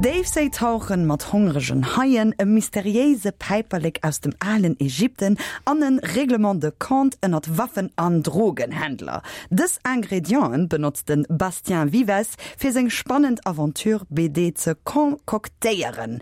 Déifséitauchen mat hongregen Haien, e mysteriéise Päiperlek aus dem alen Ägypten an e Règlement de compte ënnert Waffen an Drogenhändler. Dës Ingredienten benotzt de Bastien Vives fir seng spannend Aventure-BD ze concoctéieren.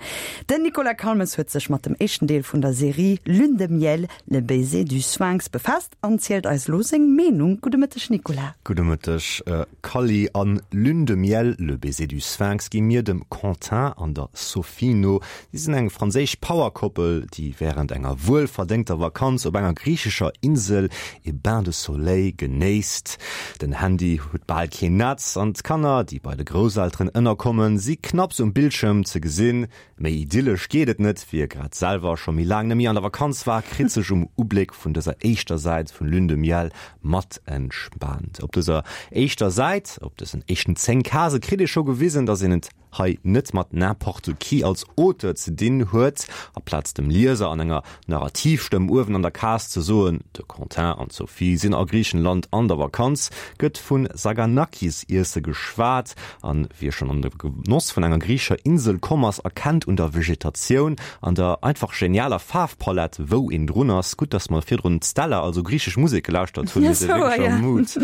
Den Nicolas Calmes huet sech mat dem éischten Deel vun der Serie Lune de miel, le baiser du Sphinx befaasst an zielt eis elo seng Meenung. Gudde Mëtteg Nicolas. Gudde Mëtteg Kally. An Lune de miel, le baiser du Sphinx gi mir dem Quentin an der Sophie no. Si sinn eng franséisch Power-Koppel, déi wärend enger wuelverdéngter Vakanz op enger griichescher Insel ee Bain de soleil genéisst. Den Handy huet bal keen Netz an d'Kanner, déi bei de Grousselteren ënnerkommen, si knapps um Bildschirm ze gesinn. Méi idyllesch geet et net. Wie grad selwer scho méi laang net méi an der Vakanz war, kritt sech um Ubléck vun dëser éischter Säit vun Lune de Miel mat entspaant. Op dëser éischter Säit, op dësen éischten 10 Case kritt ee scho gewisen, dass een et hei net mat n'importe qui als Auteur ze dinn huet, aplaz dem Lieser an enger Narrativstëmm uewen an der Case ze soen, de Quentin an d'Sophie sinn a Griichenland an der Vakanz, gëtt vu Saganakis-Iesse geschwat, an wie schonn an de Genoss vun enger griichescher Insel komm ass, erkennt un der Vegetatioun an der einfach genialer Faarfpalett, wou een drun ass. Gutt, dass mer virdrun d'Stella, also griichesch Musek, gelauschtert hunn, mir si wierklech am Mood.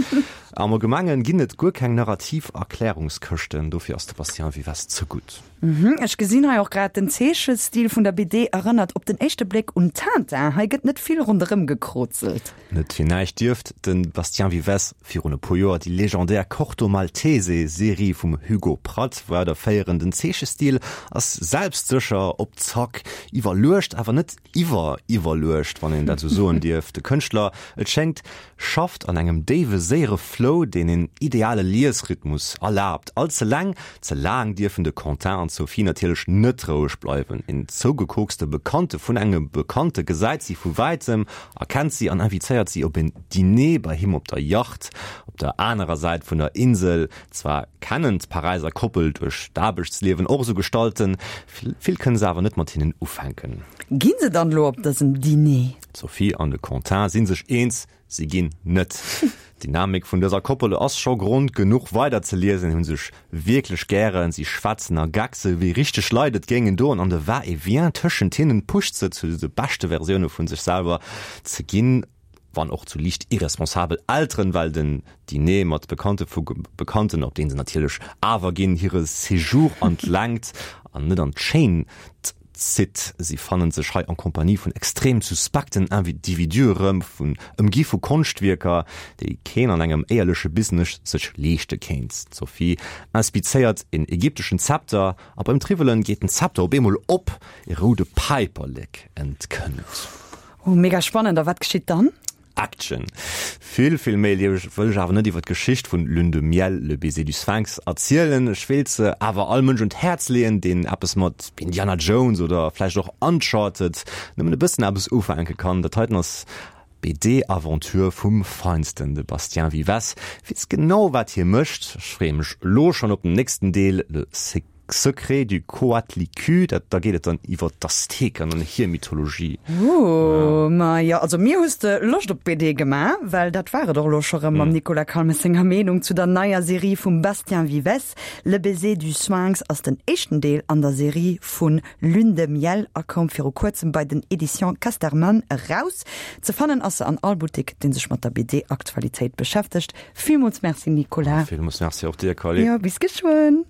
Am Allgemengen ginn et guer keng narrativ Erklärungskëschten, dofir ass de Bastien Vives ze gutt. Ech gesinn hei och grad, den Zeechestil vun der BD erënnert op den éischte Bléck un Tintin. Hei gëtt net vill ronderëm gekrozelt. Net fir näischt dierft de Bastien Vives virun e puer Joer déi legendär Corto Maltese Serie vum Hugo Pratt weiderféieren. Den Zeechestil ass selbstsécher, op Zack, iwwerluecht, awer net iwwer-iwwerluecht, wann een dat esou soen dierf. De Kënschtler, et schéngt, schafft an engem déiwe, séiere Flow, deen een ideale Liesrhythmus erlaabt. All ze laang, ze laang dierfen de Quentin an d'Sophie natierlech net roueg bleiwen. Een zougekokste Bekannte vun engem Bekannte gesäit si vu wäitem, erkennt si an invitéiert si op een Diner bei him op der Yacht op der anerer Säit vun der Insel. Zwar kennen d'Paräiser Koppel duerch d'Aarbechtsliewen och esou Gestalten, vill kënne se awer net mat hinnen ufänken. Ginn se dann elo op dësem Diner? D'Sophie an de Quentin si sech eens, si ginn net. D'Dynamik vun dëser Koppel ass scho Grond genuch weider ze liesen. Hu sech wierklech gären, si schwätzen a geckse wéi richteg Leit et géingen doen an de Va-et-vient tëschent hinnen pusht se zu de beschte Versioune vu sech selwer ze ginn. Wann och zu liicht irresponsabel Elteren, well den Diner mat Bekannte vu Bekannten, op deen se natierlech awer ginn, hire Séjour an d'Längt an net an d'Schéint zitt. Si fannen sech hei en Compagnie vun extrem suspekten Individue erëm, vun ëmgi vu Konschtwierker, déi keen an engem éierleche Business sech leeschte kéint. D'Sophie inspizéiert en ägypteschen Zepter a beim Triwwelen geet den Zepter op eemol op, e roude Päiperlek entkënnt. Oh, mega spannend. A wat geschitt dann? Action. Vill, vill méi wëll ech awer net iwwer d'Geschicht vun Lune de miel, le baiser du Sphinx erzielen. Ech wéilt se awer all Mënsch un d'Häerz leeën, deen eppes mat Indiana Jones oder vläicht och Uncharted nëmmen e bëssen eppes ufänke kann. Dat heiten ass BD-Aventure vum Feinsten. De Bastien Vives weess genau wat hie mécht. Ech freeë mech elo schonn op den nächsten Deel, Le Secret du Coatlicue, dat, da geet et dann iwwer d'Azteken an hir Mythologie. Ooh, ma jo, also mir hues de Loscht op d'BD gemaach, well dat war et och elo scho rëm mam Nicolas Calmes senger Meenung zu der neier Serie vum Bastien Vives. Le baiser du Sphinx ass den éischten Deel an der Serie vu Lune de miel a koum viru kuerzem bei den Editions Casterman eraus. Ze fannen ass se an all Buttek, dee sech mat der BD-Aktualitéit beschäftegt. Villmools Merci Nicolas. Villmools Merci och dir, Carly. Jo, bis geschwënn.